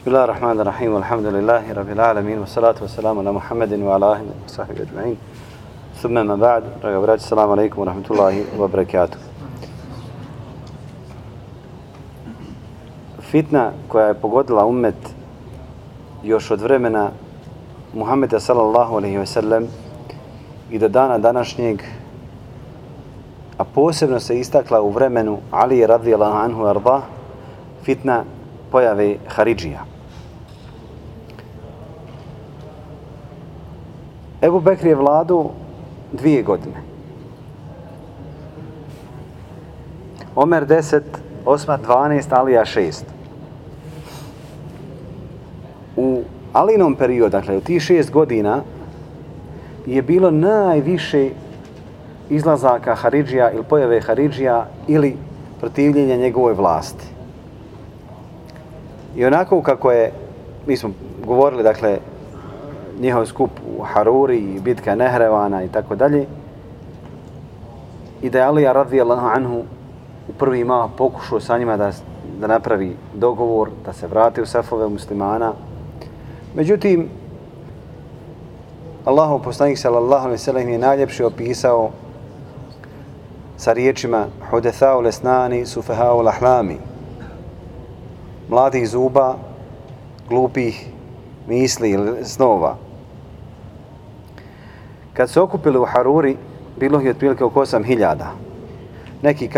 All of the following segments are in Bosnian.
Bismillahirrahmanirrahim, alhamdulillahi rabbil alamin, wa salatu wa salamu ala Muhammedin wa ala ahli wa sahbihi ajma'in. Thumma ma ba'd, draga braći, assalamu alaikum wa rahmatullahi wa barakatuh. Fitna koja je pogodila ummet još od vremena Muhammeda sallallahu alaihi wa sallam i do dana današnjeg, a posebno se istakla u vremenu Ali radijallahu anhu arda, fitna pojave Haridžija. Ebu Bekr je vladu 2 godine. Omer 10, Osman 12, Alija 6. U Alinom periodu, dakle u tih 6 godina, je bilo najviše izlazaka Haridžija ili pojave Haridžija ili protivljenja njegovoj vlasti. I onako kako je, mi smo govorili, dakle, njihov skup u Haruri i bitka Nehrevana i tako dalje, i da je Alija radijallahu anhu u prvi mah pokušao sa njima da napravi dogovor, da se vrati u safove muslimana. Međutim, Allahov poslanik sallallahu alejhi ve sellem je najljepše opisao sa riječima Hudathau lesnani sufahau lahlami, mladih zuba, glupih misli ili snova. Kad se okupili u Haruri, bilo je otprilike oko 8.000. Neki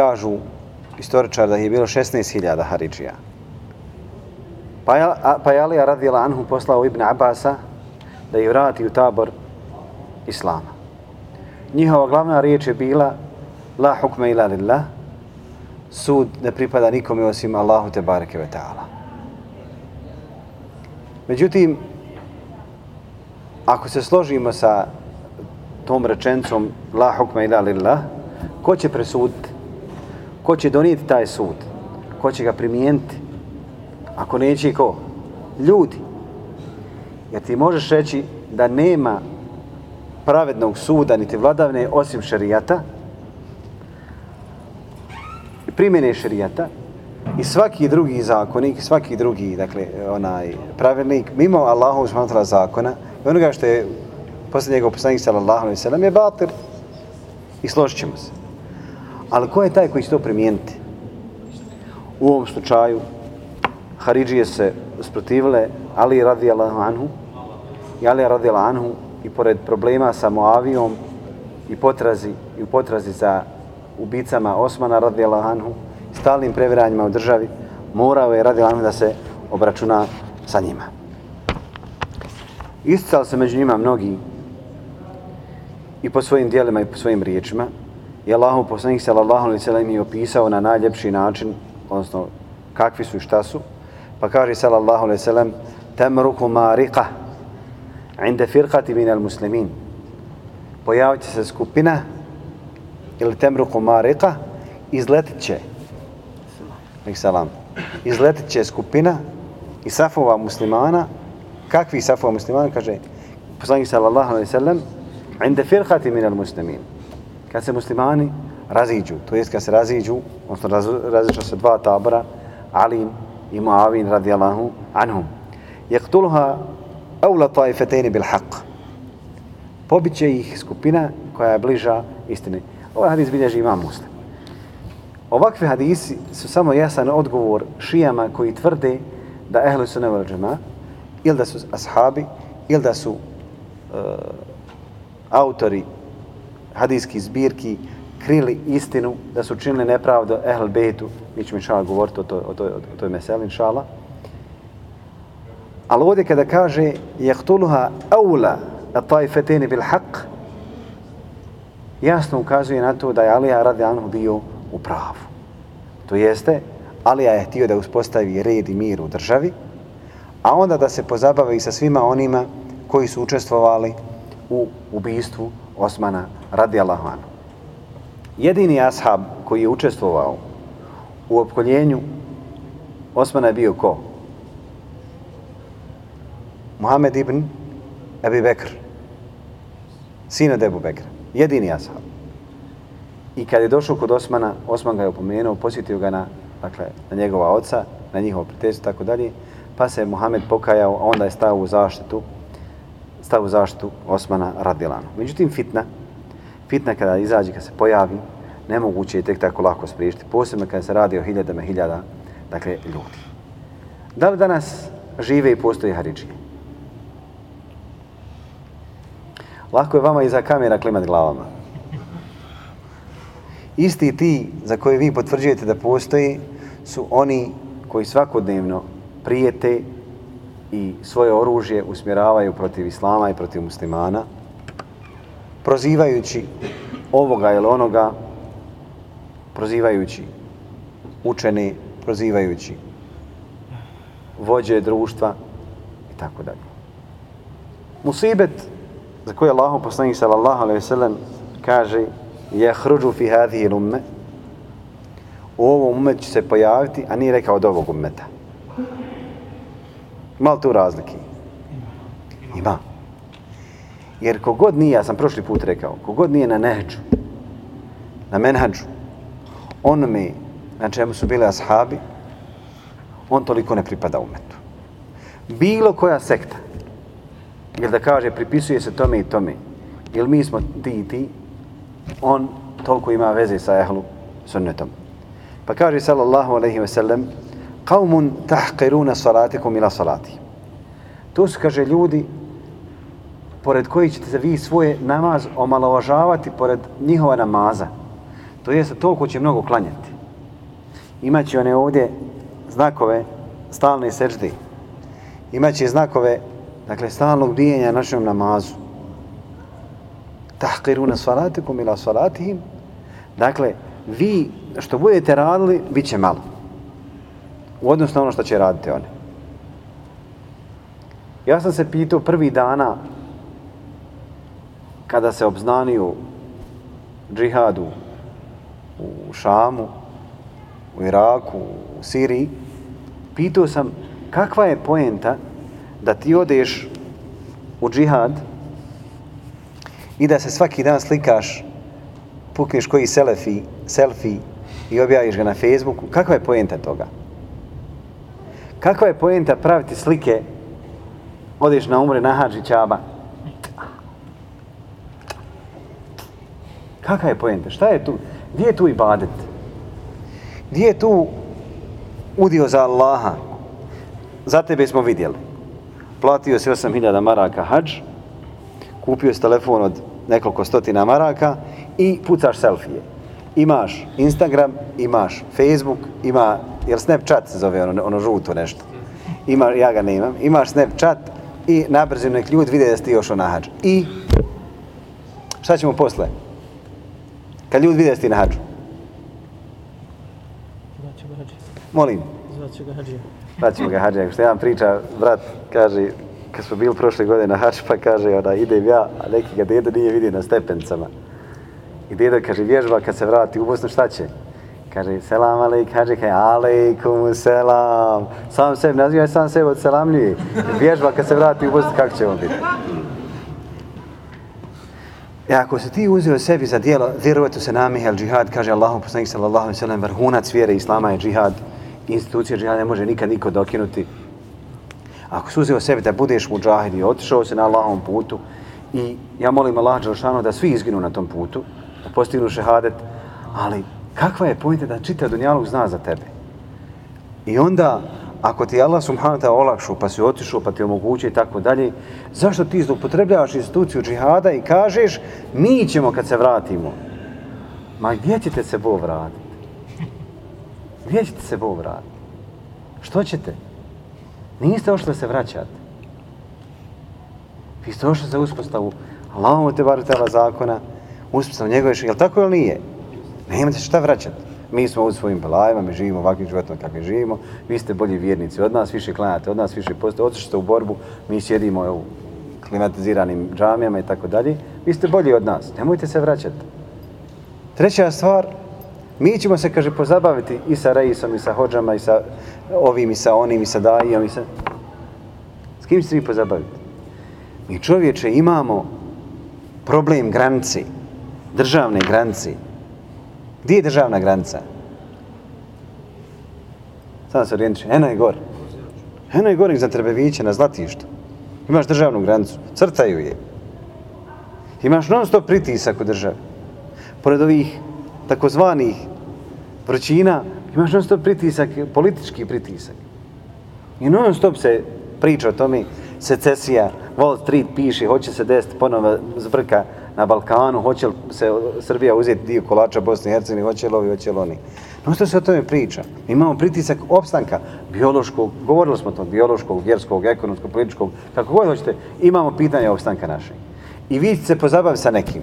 istoričari da je bilo 16.000 Haridžija. Pa je Alija radijallahu anhu poslao Ibn Abasa da ih vrati u tabor Islama. Njihova glavna riječ je bila la hukme ila lillah, sud ne pripada nikome osim Allahu te bareke ve ta'ala. Međutim, ako se složimo sa tom rečenicom la hukme ila lillah, ko će presuditi? Ko će donijeti taj sud? Ko će ga primijeniti? Ako neće ko? Ljudi. Jer ti možeš reći da nema pravednog suda niti vladavne osim šerijata, primjene šerijata, i svaki drugi zakonik, svaki drugi, dakle, pravilnik mimo Allahovog subhanahu wa ta'ala zakona i onoga što je poslije njegov poslanik sallallahu alejhi ve sellem je batil, i složit ćemo se. Ali ko je taj koji će to primijeniti? U ovom slučaju Haridžije se usprotivile Ali radijallahu anhu i Ali radijallahu anhu, i pored problema sa Muavijom i potrazi za ubicama Osmana radijallahu anhu, stalnim previranjima u državi, morao je radijallahu anhu da se obračuna sa njima. Isticali se među njima mnogi i po svojim djelima i po svojim riječima, i Allahov poslanik sallallahu alejhi ve sellem je opisao na najljepši način, odnosno kakvi su i šta su. Pa kaže sallallahu alejhi ve sellem: tamruku mariqa inda firqati min al-muslimin. Pojavit će se skupina, ili temruku mariqa, izletit će skupina i safova muslimana. Kakvi safova muslimana? Kaže poslanik sallallahu alejhi ve sellem: inda firqati min al-muslimin. Kad se muslimani raziđu, to jest kad se raziđu, odnosno razišla se 2 tabora, Ali i Muavin radijallahu anhum. Yaqtuluha awla taifatayn bil haqq. Pobiće ih skupina koja je bliža istini. Ovaj hadis bilježi Imam Muslim. Ovakvi hadisi su samo jasan odgovor šijama koji tvrde da ehlu sunne vel džema, ili da su ashabi, ili da su autori hadijskih zbirki krili istinu, da su činili nepravdu ehl bejtu. Mi ćemo inšallah govoriti o toj meseli inšallah. Ali ovdje kada kaže yaqtuluha awla at-taifatayn bil haqq, jasno ukazuje na to da je Alija radijallahu anhu bio u pravu. To jeste, Alija je htio da uspostavi red i mir u državi, a onda da se pozabavi sa svima onima koji su učestvovali u ubistvu Osmana radijallahu anhu. Jedini ashab koji je učestvovao u opkoljenju Osmana je bio ko? Muhammed ibn Abi Bekr, sin od Ebu Bekra. Jedini ashab. I kad je došao kod Osmana, Osman ga je opomenuo, posjetio ga na njegova oca, na njihovo prijateljstvo, tako dalje, pa se Muhammed pokajao, a onda je stao u zaštitu Osmana radijallahu anhu. Međutim, fitna kada izađe, kada se pojavi, nemoguće je tek tako lako spriječiti, posebno kada se radi o hiljada, dakle, ljudi. Da li danas žive i postoje haridžije? Lako je vama iza kamera klimati glavama. Isti ti za koje vi potvrđujete da postoji su oni koji svakodnevno prijete i svoje oružje usmjeravaju protiv islama i protiv muslimana, prozivajući ovoga ili onoga, prozivajući učene, prozivajući vođe društva i tako dalje. Musibet za koje Allahov poslanik sallallahu alejhi ve sellem kaže yahruju fi hadhihi al-umma, u ovom ummetu će se pojaviti, a nije rekao od ovog ummeta. Ima li tu razlike? Ima. Jer kogod nije, ja sam prošli put rekao, kogod nije na nehđu, na menhađu, onome na čemu su bili ashabi, on toliko ne pripada ummetu. Bilo koja sekta, jer da kaže pripisuje se tome i tome, jer mi smo ti i ti, on toliko ima veze sa ehlu sunnetom. Pa kaže sallallahu alejhi ve sellem: "Qaumun tahqiruna salatikum ila salati." To su, kaže, ljudi pored kojih ćete se vi svoje namaz omalovažavati pored njihova namaza. To jest, toliko će mnogo klanjati. Imaće one ovdje znakove stalne sežde. Imaće znakove, dakle, stalnog bijenja našem namazu. Tahqiruna salatikum ila salatihim. Dakle, vi što budete radili, bit će malo. U odnosu na ono što će raditi oni. Ja sam se pitao prvi dana kada se obznanio džihadu u Šamu, u Iraku, u Siriji, pitao sam kakva je poenta da ti odeš u džihad i da se svaki dan slikaš, pukneš koji selfie i objaviš ga na Facebooku. Kakva je poenta toga? Kakva je poenta praviti slike, odeš na umre, na hadži, Čaba? Kakva je poenta? Šta je tu? Gdje je tu ibadet? Gdje je tu udio za Allaha? Za tebe smo vidjeli. Platio si 8.000 maraka hadž, kupio si telefon od nekoliko stotina maraka i pucaš selfije. Imaš Instagram, imaš Facebook, jer Snapchat se zove ono žuto nešto. Ja ga ne imam. Imaš Snapchat i nabrzim nek ljudi vide da si ti još na hadžu. I šta ćemo posle? Kad ljudi vide da si ti na hadžu? Zvaću ga hadžija. Molim? Zvaću ga hadžija. Zvaćemo ga hadžija. Što jedan priča, brat kaže, kad smo bili prošle godine na hadž, pa kaže, idem ja, a neki ga dedo nije vidio na stepencama. I dedo kaže, vježba kad se vrati u Bosnu, šta će? Kaže, selam alejk, hadži, kaže, alejkum selam. Sam sebi nazivaj, sam sebi odselamljuje. Vježba kad se vrati u Bosnu, kako će on biti? E ako se ti uzeo sebi za dijelo, vjerovatno se namihe al džihad, kaže Allahov poslanik sallallahu alejhi ve sellem, vrhunac vjere islama je džihad, institucija džihada ne može nikad niko dokinuti. Ako se uzeo sebi da budeš mudžahid i otišao se na Allahovom putu, i ja molim Allah dželešanu da svi izginu na tom putu, da postignu šehadet, ali kakva je pojenta da čitav dunjaluk zna za tebe? I onda, ako ti Allah subhanahu wa ta'ala olakšu, pa si otišao, pa ti omogući i tako dalje, zašto ti zloupotrebljavaš instituciju džihada i kažeš, mi ćemo kad se vratimo? Ma gdje ćete se Bog vratiti? Gdje ćete se Bog vratiti? Što ćete? Niste ošli da se vraćate. Vi ste ošli za uspostavu Allahovu te barek ta'ala zakona, uspostavu njegove, jel tako ili nije? Nemate šta vraćati. Mi smo u svojim belajima, mi živimo ovakvim životom kakvim živimo, vi ste bolji vjernici od nas, više klanjate od nas, više postate, otišli ste u borbu, mi sjedimo u klimatiziranim džamijama i tako dalje, vi ste bolji od nas, nemojte se vraćati. Treća stvar, mi ćemo se, kaže, pozabaviti i sa reisom, i sa hođama, i sa ovim, i sa onim, i sa dajijom, i sa... S kim ćete vi pozabaviti? Mi, čovječe, imamo problem granice, državne granice. Gdje je državna granica? Sada se orijentiš, eno je gore. Eno je gore za Trebeviće na Zlatištu. Imaš državnu granicu, crtaju je. Imaš non stop pritisak u državi. Pored ovih takozvanih vrućina, imaš non stop pritisak, politički pritisak. I non stop se priča o tome, secesija, Wall Street piše, hoće se desiti ponovo zbrka na Balkanu, hoće li se Srbija uzeti dio kolača Bosne i Hercegovine, hoće li ovi, hoće li oni. Non stop se o tome priča. Imamo pritisak opstanka biološkog, govorili smo o tom, biološkog, vjerskog, ekonomskog, političkog, kako god hoćete, imamo pitanje opstanka našeg. I vi ćete se pozabaviti sa nekim.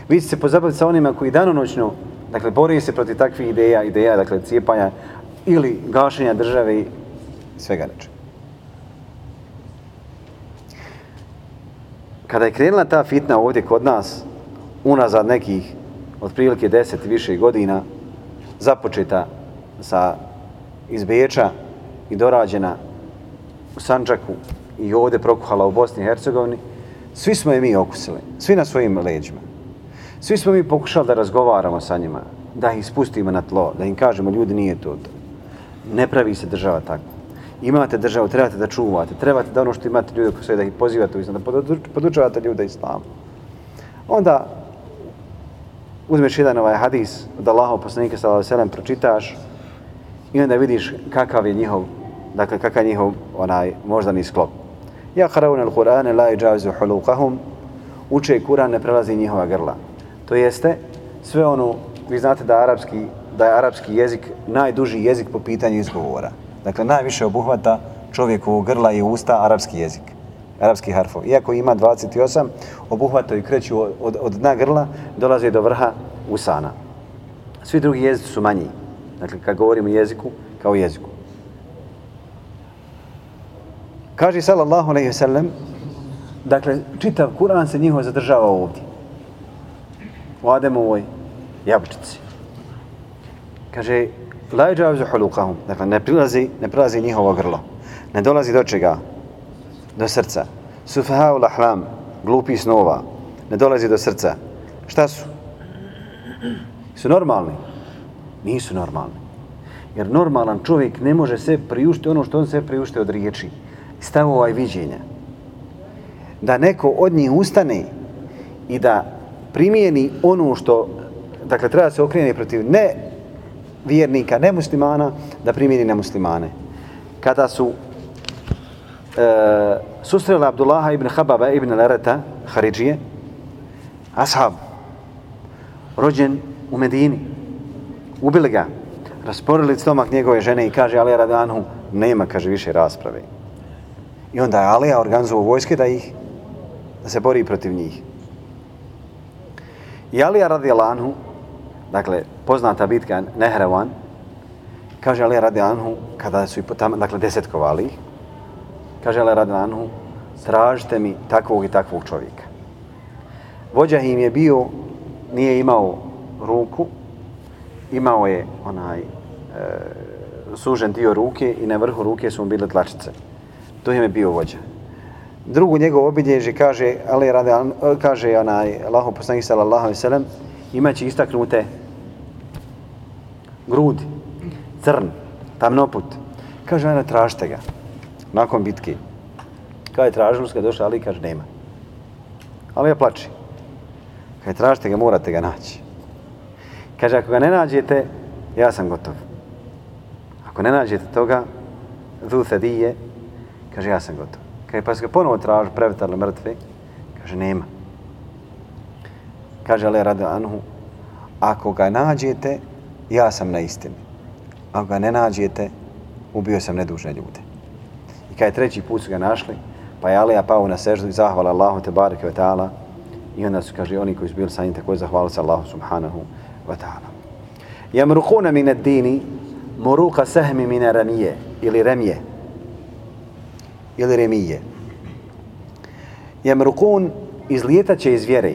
Vi ćete se pozabaviti sa onima koji danonoćno, dakle, bori se protiv takvih ideja, dakle, cijepanja ili gašenja države i svega nečega. Kada je krenula ta fitna ovdje kod nas, unazad nekih otprilike 10 i više godina, započeta iz Beča i dorađena u Sandžaku i ovdje prokuhala u Bosni i Hercegovini, svi smo je mi okusili, svi na svojim leđima. Svi smo mi pokušali da razgovaramo sa njima, da ih spustimo na tlo, da im kažemo ljudi nije to. Ne pravi se država tako. Imate državu, trebate da čuvate, trebate da ono što imate ljude oko sve, da ih pozivate u islam, da podučavate ljude islamu. Onda uzmeš jedan ovaj hadis od Allahov poslanika sallallahu alejhi ve sellem, pročitaš i onda vidiš kakav je njihov, dakle kakav je njihov onaj moždani sklop. Ja qarauna al-Qur'ana la yajawizu huluqahum, uče Kur'an, ne prelazi njihova grla. To jeste sve ono, vi znate da je arapski jezik najduži jezik po pitanju izgovora. Dakle, najviše obuhvata čovjekovog grla i usta arapski jezik, arapski harfov. Iako ima 28, obuhvataju i kreću od dna grla, dolaze do vrha usana. Svi drugi jezici su manji. Dakle, kad govorimo jeziku, kao jeziku. Kaže sallallahu alejhi ve sellem, dakle, čitav Kur'an se njihov zadržava ovdje. U Ademovoj jabučici. Kaže, la yajawizu huluqahum, dakle ne prilazi njihovo grlo. Ne dolazi do čega? Do srca. Sufaha'ul ahlam, glupi snova, ne dolazi do srca. Šta su? Su normalni? Nisu normalni. Jer normalan čovjek ne može se priuštiti ono što on se priušti od riječi, stavova i viđenja. Da neko od njih ustane i da primijeni ono što, dakle, treba se okrenuti protiv ne vjernika, ne muslimana, da primijeni na muslimane. Kada su susreli Abdullaha ibn Hababa ibn Larata, Haridžije, ashab, rođen u Medini, ubili ga, rasporili stomak njegove žene i kaže Alija radijallahu anhu, nema, kaže, više rasprave. I onda je Alija organizovao vojske da se bori protiv njih. I Alija radijallahu anhu, dakle, poznata bitka Nehrevan, kaže Alija radijallahu anhu, kada su i tamo, dakle, desetkovali ih, kaže Alija radijallahu anhu, tražite mi takvog i takvog čovjeka. Vođa im je bio, nije imao ruku, imao je onaj sužen dio ruke i na vrhu ruke su mu bile tlačice. To im je bio vođa. Drugu njegovu obilježje kaže, kaže Allahov poslanik sallallahu alejhi ve sellem, imaće istaknute grudi, crn, tamnoput. Kaže, ajde, tražite ga. Nakon bitke. Kada je tražilo, kada je došao Ali, kaže, nema. Ali ja plači. Kada tražite ga, morate ga naći. Kaže, ako ga ne nađete, ja sam gotov. Ako ne nađete toga, dhu thadije, kaže, ja sam gotov. Kaže, pa se ga ponovo traži, previtarli mrtve, kaže, nema. Kaže, Ali radijallahu anhu, ako ga nađete, ja sam na istini. Ako ga ne nađete, ubio sam nedužne ljude. I kada je treći put su ga našli, pa je Alija pao na seždu i zahvala Allahu te bareke ve ta'ala. I onda su, kaže, oni koji su bili sa njim također zahvalili se Allahu subhanahu wa ta'ala. Jamruquna min ad-dini muruqa sahmi min ramije ili remije. Ili remije. Jamruqun izlijetaće iz vjere.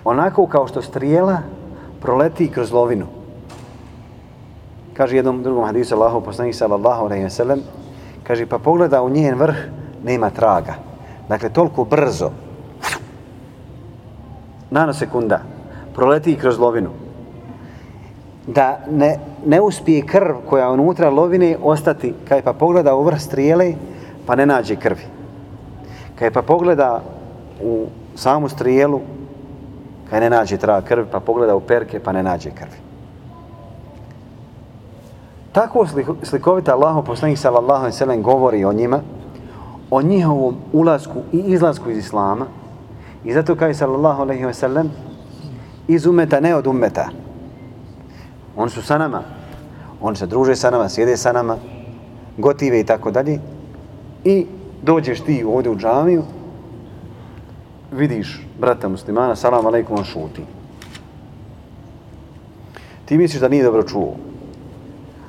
Onako kao što strijela proleti kroz lovinu. Kaže jednom drugom hadisu Allahov poslanik sallallahu alejhi ve sellem, kaže, pa pogleda u njen vrh, nema traga. Dakle, toliko brzo, nanosekunda, proleti kroz lovinu. da ne uspije krv koja unutra lovine ostati, kaj pa pogleda u vrh strijele, pa ne nađe krvi. Kaj pa pogleda u samu strijelu, kaj ne nađe trag krvi, pa pogleda u perke, pa ne nađe krvi. Tako slikovita Allahov poslanik sallallahu alejhi ve sellem govori o njima, o njihovom ulasku i izlasku iz islama, i zato kaže sallallahu alejhi ve sellem iz umeta, ne od umeta. Oni su sa nama, oni se druže sa nama, sjede sa nama, gotive i tako dalje, i dođeš ti ovdje u džamiju, vidiš brata muslimana, salam alejkum, on šuti. Ti misliš da nije dobro čuo,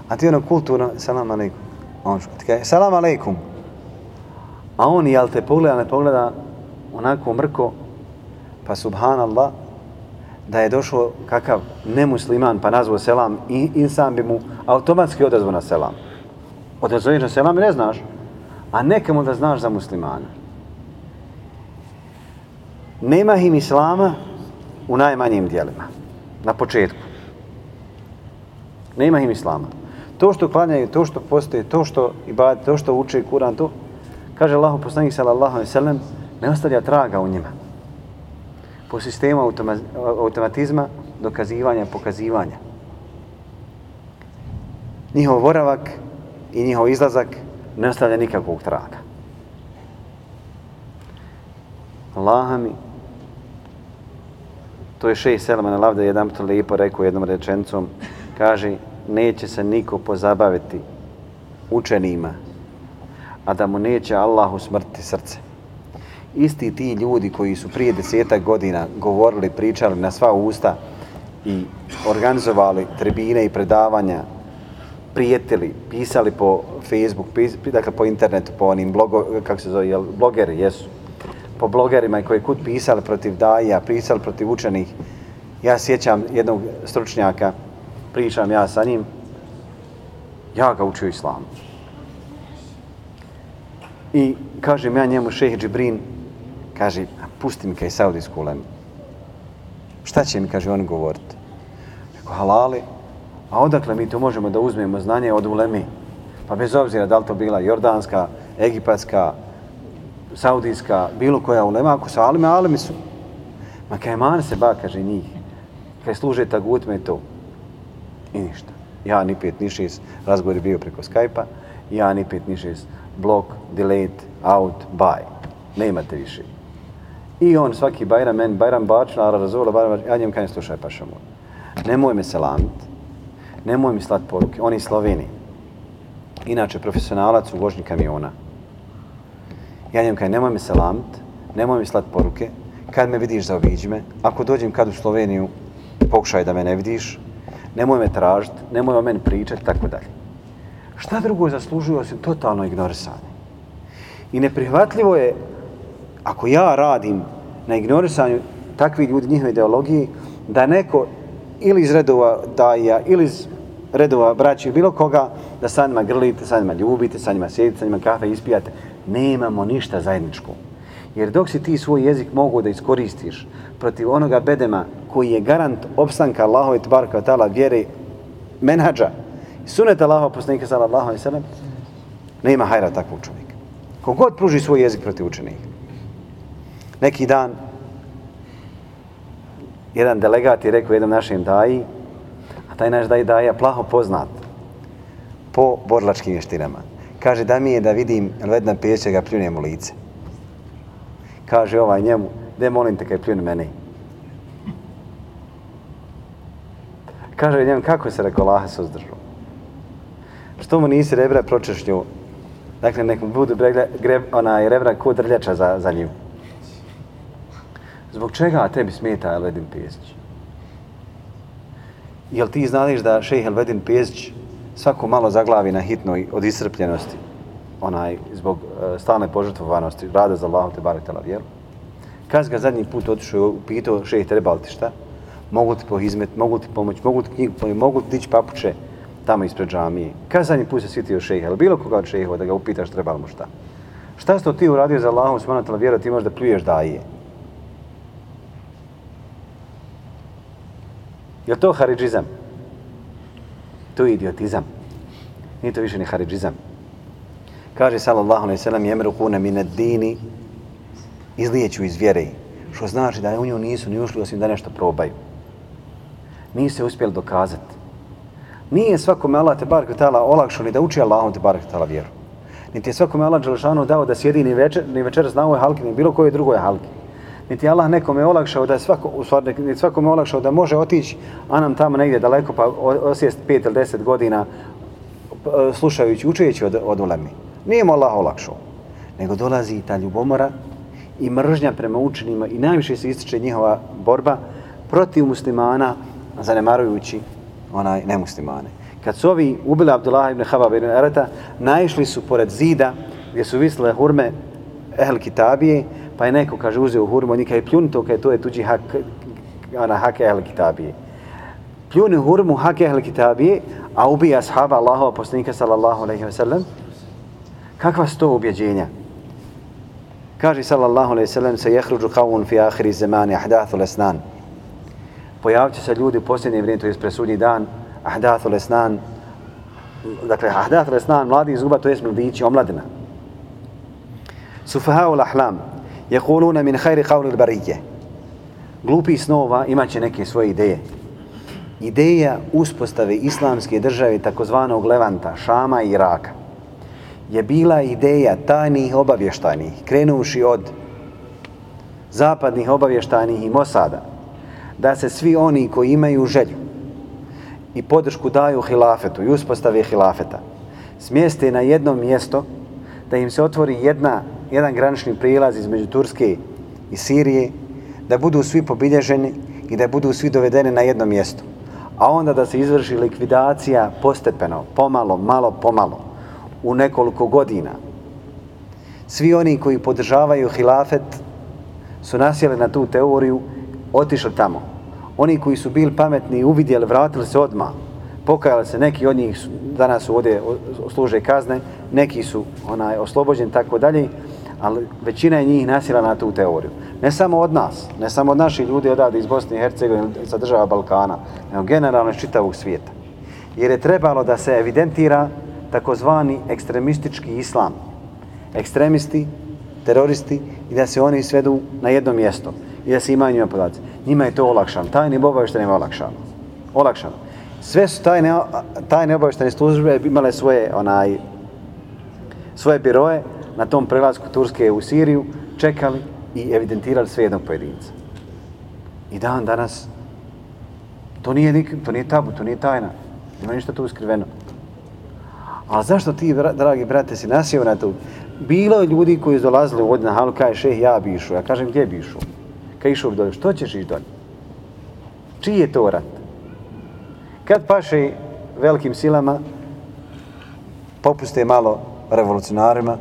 a ti ono kulturno, salam alejkum, on šuti. Kaže, salam alejkum, a on, jel te pogleda, ne pogleda onako mrko, pa subhanallah, da je došao kakav nemusliman pa nazvao selam i insan bi mu automatski odazvao na selam. Odazvoješ na selam i ne znaš, a nekamo da znaš za muslimana. Nema im islama u najmanjim dijelima, na početku. Nema im islama. To što klanjaju, to što postoje, to što ibadete, to što uče Kur'an, to, kaže Allahov poslanik sallallahu alejhi ve sellem, ne ostavlja traga u njima. Po sistemu automatizma, dokazivanja, pokazivanja. Njihov boravak i njihov izlazak ne ostavlja nikakvog traga. Allaha mi, to je šejh Selman al-Avda jedan put lijepo rekao jednom rečenicom, kaže, neće se niko pozabaviti učenima, a da mu neće Allah usmrtiti srce. Isti ti ljudi koji su prije 10 godina govorili, pričali na sva usta i organizovali tribine i predavanja, prijetili, pisali po Facebook, dakle po internetu, po onim kako se zove, blogeri, jesu. Po blogerima koji kud pisali protiv daija, pisali protiv učenih. Ja sjećam jednog stručnjaka, pričam ja sa njim, ja ga učio islamu. I kažem ja njemu, šejh Džibrin, kaže, pusti mi kaj saudijsku ulemu. Šta će mi, kaže, oni govoriti? Rekao, halali, a odakle mi to možemo da uzmemo znanje od ulemi? Pa bez obzira da li to bila jordanska, egipatska, saudijska, bilo koja ulema, ako su alime, alimi su. Ma kaj man se ba, kaže, njih. Kaj služe tagutme i to. I ništa. Ja ni 5 ni 6, razgovor je bio preko Skype-a, ja ni 5 ni 6, block, delete, out, buy. Ne imate više. I on svaki bajram, meni bajram bačna, razvola, bajram, ja njem kajem slušaj paša moj. Nemoj me selamit, nemoj mi slat poruke, on je iz Slovenije. Inače, profesionalac u vožnji kamiona. Ja njem kajem, nemoj me selamit, nemoj mi slat poruke, kad me vidiš zaobiđi me, ako dođem kad u Sloveniju, pokušaj da me ne vidiš, nemoj me tražit, nemoj o meni pričat, tako dalje. Šta drugo zaslužuje osim totalno ignorisanje? I neprihvatljivo je, ako ja radim na ignorisanju takvih ljudi, njihove ideologije, da neko ili iz redova daija, ili iz redova braći, bilo koga, da sa njima grlite, sa njima ljubite, sa njima sjedite, sa njima kafe ispijate, nemamo ništa zajedničko. Jer dok si ti svoj jezik mogu da iskoristiš protiv onoga bedema koji je garant opstanka Allahove tebareka ve taala vjere, menadža, suneta Allahova poslanika sallallahu alejhi ve sellem, nema hajra takvog čovjeka. Kogod pruži svoj jezik protiv učenika. Neki dan jedan delegat je rekao jednom našem daji, a taj naš daja plaho poznat po borilačkim vještinama. Kaže, da mi je da vidim Elvedina Pejića ga pljunem u lice. Kaže ovaj njemu, de molim te kaj pljuni meni. Kaže njemu, kako se rekao Allaha suzdržao? Što mu nisi rebra pročešlju? Dakle, nek mu budu rebra ko drljača za nju. Zbog čega tebi smeta Elvedin Pejić? Jel ti znaš da šejh Elvedin Pejić svako malo zaglavi na hitnoj od iscrpljenosti, zbog stalne požrtvovanosti, rada za Allahu tebarek ve taala vjeru? Kad ga zadnji put otišao, upitao šejh, treba li ti šta? Mogu ti pohizmet, mogu ti pomoći, mogu ti knjigu pomoći, mogu ti dići papuče tamo ispred džamije. Kad zadnji put se sjetio šejha, ili bilo koga od šejhova da ga upitaš treba li mu šta? Šta si ti uradio za Allahu subhanahu wa taala vjeru, ti možeš da pljuješ daje? Je to haridžizam? to je idiotizam. Nije to više ni haridžizam. Kaže sallallahu alejhi ve sellem yemruquna min ad-dini, izlijeću iz vjere, što znači da u nju nisu ni ušli osim da nešto probaju. Nisu se uspjeli dokazati. Nije svakome Allah te barek ve taala olakšao ni da uči Allahom te barek ve taala vjeru. Niti je svakome Allah dželešanu dao da sjedi ni večeras na ovoj halki, ni bilo kojoj drugoj halki. Niti je Allah nekome olakšao da svakome olakšao da može otići, a nam tamo negdje daleko pa osjest 5 ili 10 godina slušajući, učeći od ulemi. Nije mu Allah olakšao, nego dolazi ta ljubomora i mržnja prema učenima i najviše se ističe njihova borba protiv muslimana, zanemarujući nemuslimane. Kad su ovi ubili Abdullah ibn Habab ibn Arata, naišli su pored zida gdje su visle hurme Ehl Kitabije, pa je neko, kaže, uzeo hurmu, on je kaže pljuni to, kaže to je tuđi hak Ehl Kitabije. Pljuni hurmu hak Ehl Kitabije, a ubija ashaba Allahova poslanika sallallahu alejhi ve sellem. Kakva su to ubjeđenja? Kaže sallallahu alejhi ve sellem se yahruju qawmun fi akhir zamani ahdathul asnan. Pojavit će se ljudi u posljednje vrijeme, to je presudnji dan, ahdathul asnan. Dakle, ahdathul asnan, mladi zuba, to je mladići, omladina. Sufahaul ahlam yaquluna min khairi qawli al-bariyya. Glupi snova imaće neke svoje ideje. Ideja uspostave islamske države takozvanog Levanta, Šama i Iraka je bila ideja tajnih obavještajnih, krenuši od zapadnih obavještajnih i Mosada, da se svi oni koji imaju želju i podršku daju hilafetu i uspostave hilafeta smjeste na jedno mjesto, da im se otvori jedan granični prilaz između Turske i Sirije, da budu svi pobilježeni i da budu svi dovedeni na jedno mjesto. A onda da se izvrši likvidacija postepeno, pomalo, malo pomalo, u nekoliko godina. Svi oni koji podržavaju hilafet su nasjeli na tu teoriju, otišli tamo. Oni koji su bili pametni i uvidjeli, vratili se odmah. Pokajali se, neki od njih danas su ovdje služe kazne, neki su oslobođeni, tako dalje, ali većina je njih nasjela na tu teoriju. Ne samo od nas, ne samo od naših ljudi odavde iz Bosne i Hercegovine, sa država Balkana, nego generalno iz čitavog svijeta. Jer je trebalo da se evidentira takozvani ekstremistički islam. Ekstremisti, teroristi i da se oni svedu na jedno mjesto i da se imaju njima podaci. Njima je to olakšano. Tajni obavještajni je olakšano. Sve su tajne obavještajne službe imale svoje biroje na tom prelasku Turske u Siriju, čekali i evidentirali sve jednog pojedinca. I dan danas to nije tabu, to nije tajna. Nema ništa tu skriveno. Ali zašto ti, dragi brate, si nasjeo na to? Bilo je ljudi koji su dolazili ovdje na halu, kaže šeh, ja bi išao. Ja kažem, gdje bi išao? Kad išao bi dolje, što ćeš ići dolje? Čiji je to rat? Kad paše velikim silama, popuste malo revolucionarima,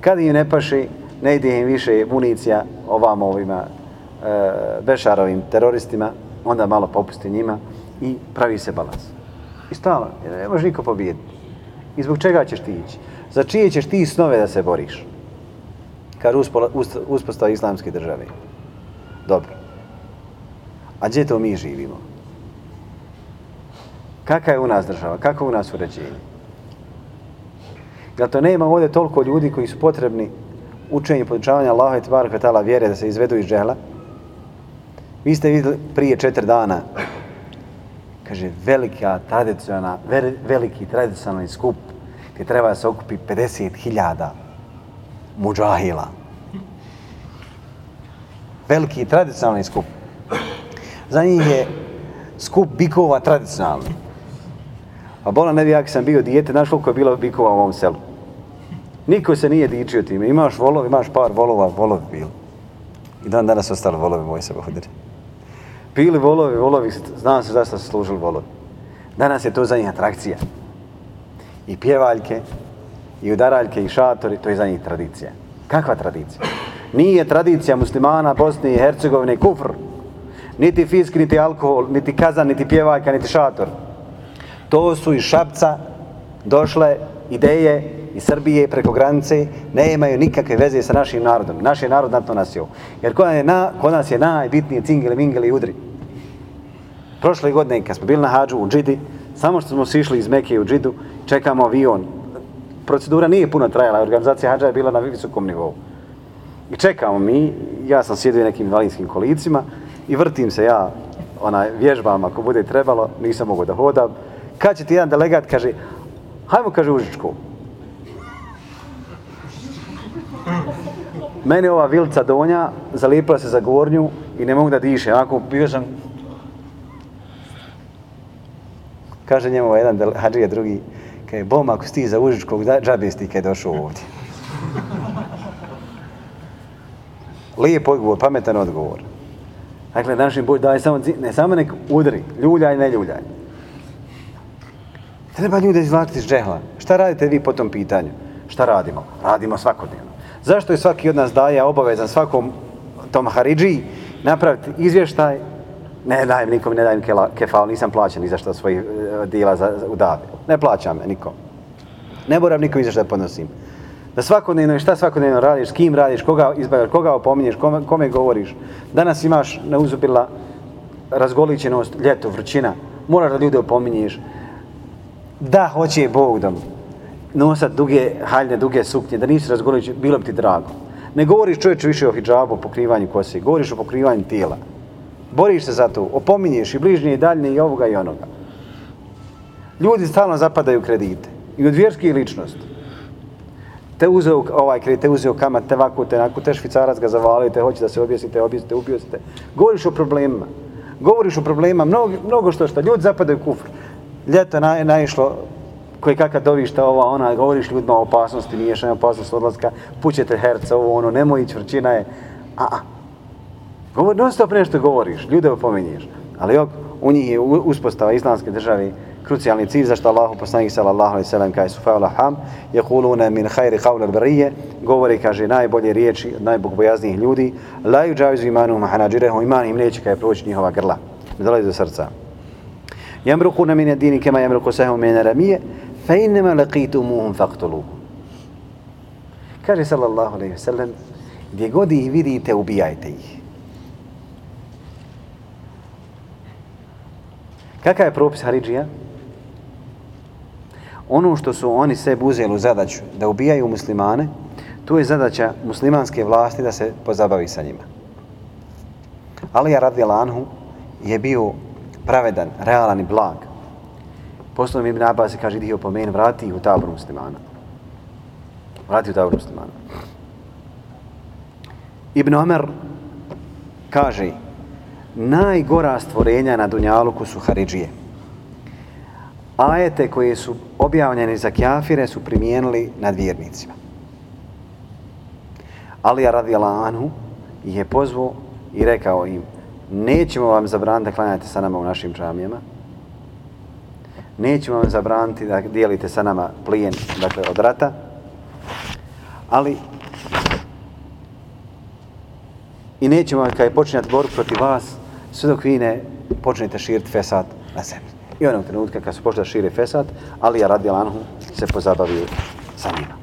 kad im ne paše, ne ide im više municija ovima Bešarovim teroristima, onda malo popusti njima i pravi se balans. I stalno, ne može niko pobijediti. I zbog čega ćeš ti ići? Za čije ćeš ti snove da se boriš? Kad uspostava islamske države. Dobro. A gdje to mi živimo? Kakva je u nas država? Kako u nas uređenje? Jel to nema ovdje toliko ljudi koji su potrebni učenju i podučavanja Allaha i tbarek ve taala vjere da se izvedu iz džehla? Vi ste vidjeli prije 4 dana, kaže, veliki tradicionalni skup gdje treba da se okupi 50.000 mudžahila. Veliki tradicionalni skup. Za njih je skup bikova tradicionalni. A bola ne bi, jak sam bio dijete, znaš koliko je bilo bikova u ovom selu. Niko se nije dičio time. Imaš volov, imaš par volova, volovi bili. I dan danas ostali volovi moji se bohderi. Bili volovi, znam se zašto su služili volovi. Danas je to za njih atrakcija. I pjevaljke, i udaraljke, i šatori, to je za njih tradicija. Kakva tradicija? Nije tradicija muslimana Bosne i Hercegovine kufr. Niti fisk, niti alkohol, niti kazan, niti pjevaljka, niti šator. To su iz Šapca došle ideje iz Srbije preko granice, ne imaju nikakve veze sa našim narodom. Naš je narod na to nasjeo. Jer kod nas je najbitnije cingele, mingele i udri. Prošle godine kad smo bili na hađu u Džidi, Samo što smo sišli iz Mekke u Džidu, čekamo avion. Procedura nije puno trajala, organizacija hadža je bila na visokom nivou. I čekamo mi, ja sam sjedio u nekim invalidskim kolicima i vrtim se ja vježbam ako bude trebalo, nisam mogao da hodam. Kad će ti jedan delegat, kaže, hajmo, kaže, u Užičku. Meni ova vilica donja zalijepila se za gornju i ne mogu da diše. Onako bio sam... Kaže njemu jedan hadžija drugi, kaže, bom, ako si ti za Užičkog, džabe si ti kad je došao ovdje. Lijep odgovor, pametan odgovor. Dakle, današnji Bog daje samo nek udri, ljuljaj, ne ljuljaj. Treba ljude izvlačiti iz džehla. Šta radite vi po tom pitanju? Šta radimo? Radimo svakodnevno. Zašto je svaki od nas daje obavezan svakom tom haridžiji napraviti izvještaj? Ne dajem nikom, ne dajem kefal, nisam plaćan ni za što svojih dijela u davi. Ne plaćam me nikom. Ne moram nikom izvještaj podnosim. Da svakodnevno, šta svakodnevno radiš, s kim radiš, koga izbavaš, koga opominješ, kome govoriš. Danas imaš neuzubila razgoličenost, ljeto, vrućina. Moraš da ljude opominješ. Da hoće Bog da nosat duge haljne, duge suknje, da nisi razgoličen, bilo bi ti drago. Ne govoriš čovječe više o hidžabu, o pokrivanju kose, govoriš o pokrivanju tijela. Boriš se za to, opominješ i bližnje i daljnje i ovoga i onoga. Ljudi stalno zapadaju kredite. I od vjerskih ličnosti. Te uzeo kredit, te uzeo kamat, te ovako, te onako, te švicarac ga zavalio, te hoće da se objesite, ubijete. Govoriš o problemima. Govoriš o problemima, mnogo što. Ljudi zapadaju u kufr. Ljeto naišlo koji kakav dovišta ona, govoriš ljudima o opasnosti, miješanja, opasnost odlaska, pućete herca, nemoj ići, vrčina je. Non stop nešto govoriš, ljude opominješ. Ali u njih je uspostava islamske države krucijalni cilj, zašto Allahu poslanik sallallahu alejhi ve sellem kaže sufa'ul ham yaquluna min khairi qawl al-bariyya, govori, kaže, najbolje riječi od najbogobojaznih ljudi, la yujawizu imanuhum hanajirahum, iman im neće kaj proći njihova grla, ne dolazi do srca. Yamruquna min ad-din kama yamruqu sahmu min ar-ramiyya fa inma laqitumuhum faqtuluhum. Kaže sallallahu alejhi ve sellem, gdje god ih vidite, ubijajte ih. Kakav je propis haridžija? Ono što su oni sebi uzeli u zadaću da ubijaju muslimane, to je zadaća muslimanske vlasti da se pozabavi sa njima. Alija radijallahu anhu je bio pravedan, realan i blag. Posljedno Ibn Abbas se kaže, dio po meni, vrati ih u tabor muslimana. Vrati u tabor muslimana. Ibn Omer kaže, najgora stvorenja na dunjaluku su haridžije. Ajete koje su objavljene za kjafire su primijenili nad vjernicima. Alija radijallahu anhu ih je pozvao i rekao im, nećemo vam zabraniti da klanjate sa nama u našim džamijama, nećemo vam zabraniti da dijelite sa nama plijen, dakle od rata, ali i nećemo vam kada je počinjati borbu protiv vas, sve dok vi ne počnete širiti fesad na zemlji. I onog trenutka kad su počeli da šire fesad, Alija radijallahu anhu se pozabavio sa njima.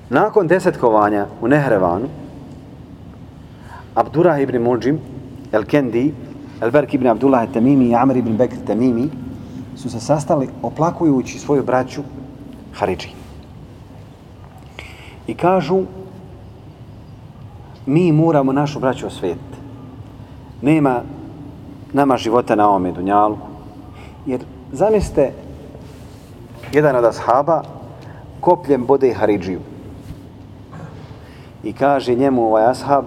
Nakon desetkovanja u Nehrevanu, Abdurrah ibn Muljim, El-Kendi, El-Berk ibn Abdullah Tamimi i Amr ibn Bekr Tamimi su se sastali oplakujući svoju braću haridži. I kažu, mi moramo našu braću osvetiti. Nema nama života na ovome dunjalu. Jer zamislite, jedan od ashaba kopljem bode haridžiju. I kaže njemu ovaj ashab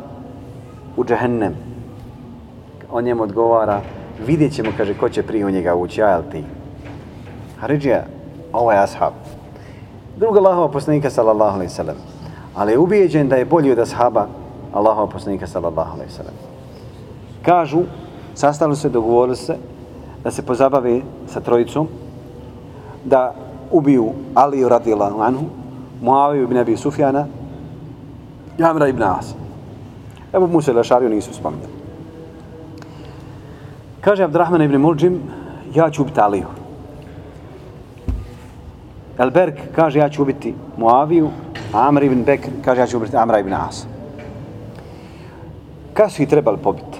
u džehennem. On njemu odgovara, vidjet ćemo, kaže, ko će prije u njega ući, ja ili ti. Haridžija, ovaj ashab. Druga Allahova poslanika sallallahu alejhi ve sellem. Ali je ubijeđen da je bolji od ashaba Allahova poslanika sallallahu alejhi ve sellem. Kažu, sastali se, dogovorili se da se pozabave sa trojicom, da ubiju Aliju radijallahu anhu, Muaviju ibn Abi Sufjana i Amra ibn Asa. Ebu Musa al-Ašariju nisu spominjali. Kaže Abdurrahman ibn Muljim, ja ću ubiti Aliju. El-Berk kaže, ja ću ubiti Muaviju, a Amr ibn Bekr kaže, ja ću ubiti Amra ibn Asa. Kad su ih trebali pobiti?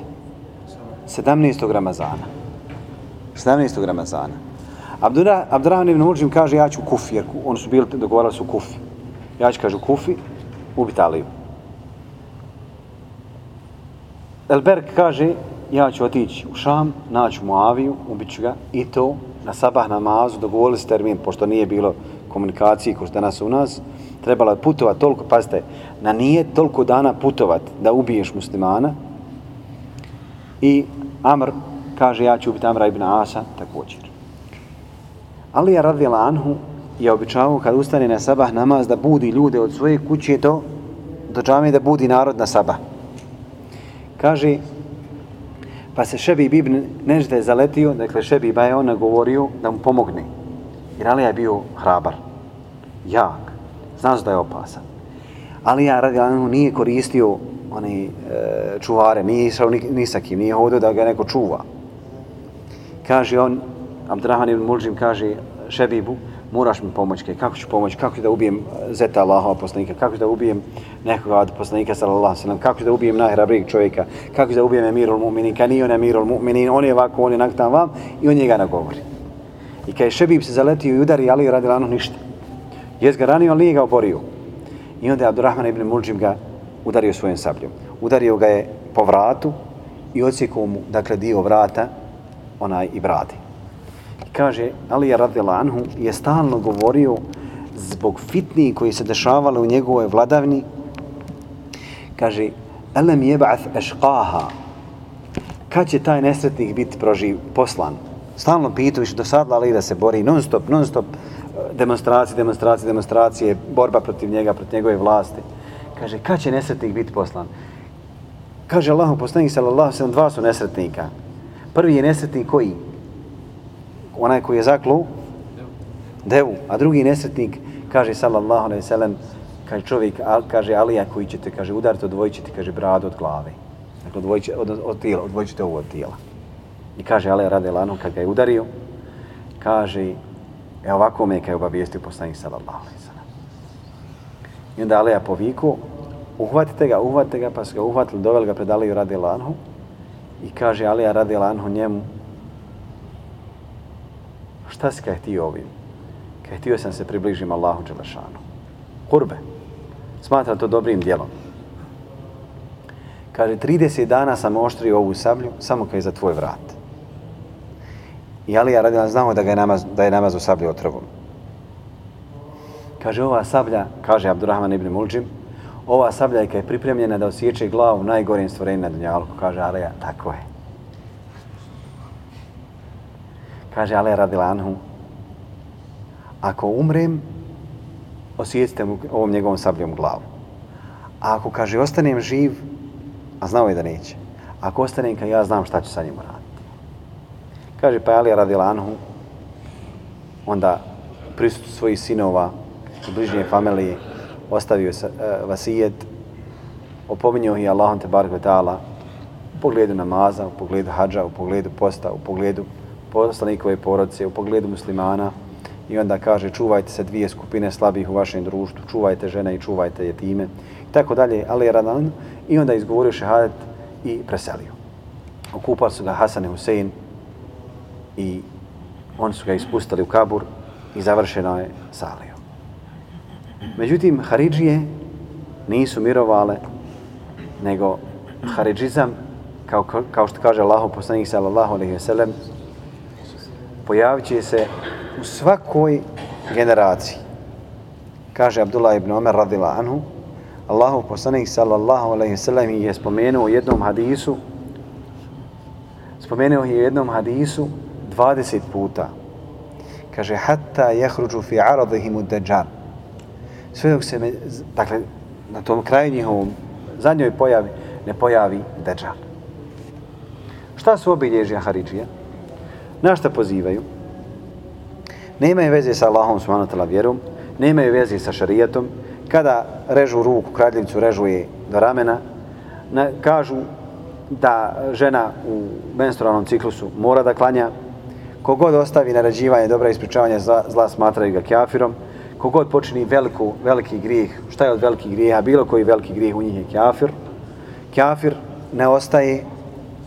17. Ramazana. 17. Ramazana. Abdurrahman ibn Muljim kaže ja ću u Kufi, jer oni su bili dogovarali su u Kufi. Ja ću, kaže, u Kufi ubiti Aliju. El-Berk kaže ja ću otići u Šam, naći Muaviju, ubit ću ga i to na sabah namazu, dogovorili se termin, pošto nije bilo komunikacije kao što danas u nas, trebalo je putovati toliko, pazite, na nije toliko dana putovati da ubiješ muslimana. I Amr kaže ja ću ubiti Amra ibn Asa također. Alija radijallahu anhu je običavao kad ustane na sabah namaz da budi ljude od svoje kuće do džamije, da budi narod na sabah. Kaže, pa se Šebib ibn Nežde zaletio, dakle Šebiba je on nagovorio da mu pomogne. Jer Alija je bio hrabar, jak, znao da je opasan. Alija radijallahu anhu nije koristio one čuvare, nije išao ni sa kim, nije hodio da ga neko čuva. Kaže on, Abdurrahman ibn Muljim kaže Šebibu, moraš mi pomoći, kako ću pomoći, kako ću da ubijem zeta Allahova poslanika, kako ću da ubijem nekoga od poslanika sallallahu alejhi ve sellem, kako ću da ubijem najhrabrijeg čovjeka, kako ću da ubijem Emirul Mu'minin, kad nije on Emirul Mu'minin, on je ovako, on je naktan vam i on njega nagovori. I kad je Šebib se zaletio i udari Aliju radijallahu anhu ništa. Jes ga ranio, ali nije ga oborio. I onda je Abdurrahman ibn Muljim ga udario svojom sabljom. Udario ga je po vratu i odsjekao mu, dakle, dio vrata, onaj i brade. Kaže, Alija radijallahu anhu je stalno govorio zbog fitni koji se dešavale u njegovoj vladavni. Kaže, elem jeb'ath ešqaha, kad će taj nesretnik biti poslan? Stalno pitaju do sad Ali da se bori non stop, demonstracije, borba protiv njega, protiv njegove vlasti. Kaže, kad će nesretnik biti poslan? Kaže Allahu poslanik sallallahu alejhi ve sellem, dva su nesretnika. Prvi je nesretnik koji? Onaj koji je zaklu devu, a drugi nesretnik, kaže sallallahu alejhi ve sellem, kaže čovjek, kaže Alija koji ćete, kaže, udariti, odvojit ćete, kaže, bradu od glave. Dakle, odvojit ćete ovo od tijela. I kaže Alija radijallahu anhu kad ga je udario, kaže, ovako me je obavijestio poslanik sallallahu alejhi ve sellem. I onda Alija povikao, uhvatite ga, pa su ga uhvatili, doveli ga pred Aliju radijallahu anhu i kaže Alija radijallahu anhu njemu, šta si kaj htio ovim? Kaj htio sam se približim Allahu dželešanu. Kurbe. Smatra to dobrim djelom. Kaže, 30 dana sam oštrio ovu sablju, samo kaj za tvoj vrat. I Alija radijallahu znao da je namaz u sablju otrovom. Kaže, ova sablja, kaže Abdurrahman ibn Muljim, ova sablja je kaj je pripremljena da osjeće glavu najgorim stvorenju na dunjalku. Kaže Alija, tako je. Kaže Alija radijallahu anhu, ako umrem, osjetite mu ovom njegovom sabljom glavu. A ako, kaže, ostanem živ, a znao je da neće, ako ostanem kad ja znam šta ću sa njim raditi. Kaže pa Alija radijallahu anhu, onda prisutno svojih sinova i bližnje familije ostavio vasijet, opominjao ih Allahom te barek ve ta'ala u pogledu namaza, u pogledu hadža, u pogledu posta, u pogledu poslanikove porodice, u pogledu muslimana. I onda kaže, čuvajte se dvije skupine slabih u vašem društvu, čuvajte žene i čuvajte jetime. I tako dalje, ali je radan. I onda izgovorio šehadet i preselio. Okupali su ga Hasan i Husein i oni su ga ispustili u kabur i završeno je salio. Međutim, Haridžije nisu mirovale, nego haridžizam, kao što kaže Allahov poslanik sallallahu alejhi ve sellem, pojavit će se u svakoj generaciji. Kaže Abdullah ibn Omer radijallahu anhu, Allahov poslanik sallallahu alejhi ve sellem je spomenuo u jednom hadisu 20 puta. Kaže, hatta jahruđu fi aradihimu dajjal. Sve dok se, dakle, na tom kraju njihovom zadnjoj pojavi, ne pojavi dajjal. Šta su obilježja Haridžija? Na šta pozivaju? Nemaju veze sa Allahom subhanahu wa ta'ala vjerom, nemaju veze sa šarijatom. Kada režu ruku, kradljivcu režu je do ramena, kažu da žena u menstrualnom ciklusu mora da klanja. Kogod ostavi naređivanje dobra i ispričavanje zla, smatraju ga kjafirom. Kogod počini veliki grijeh, šta je od velikih grijeha, bilo koji veliki grijeh u njih je kjafir. Kjafir ne ostaje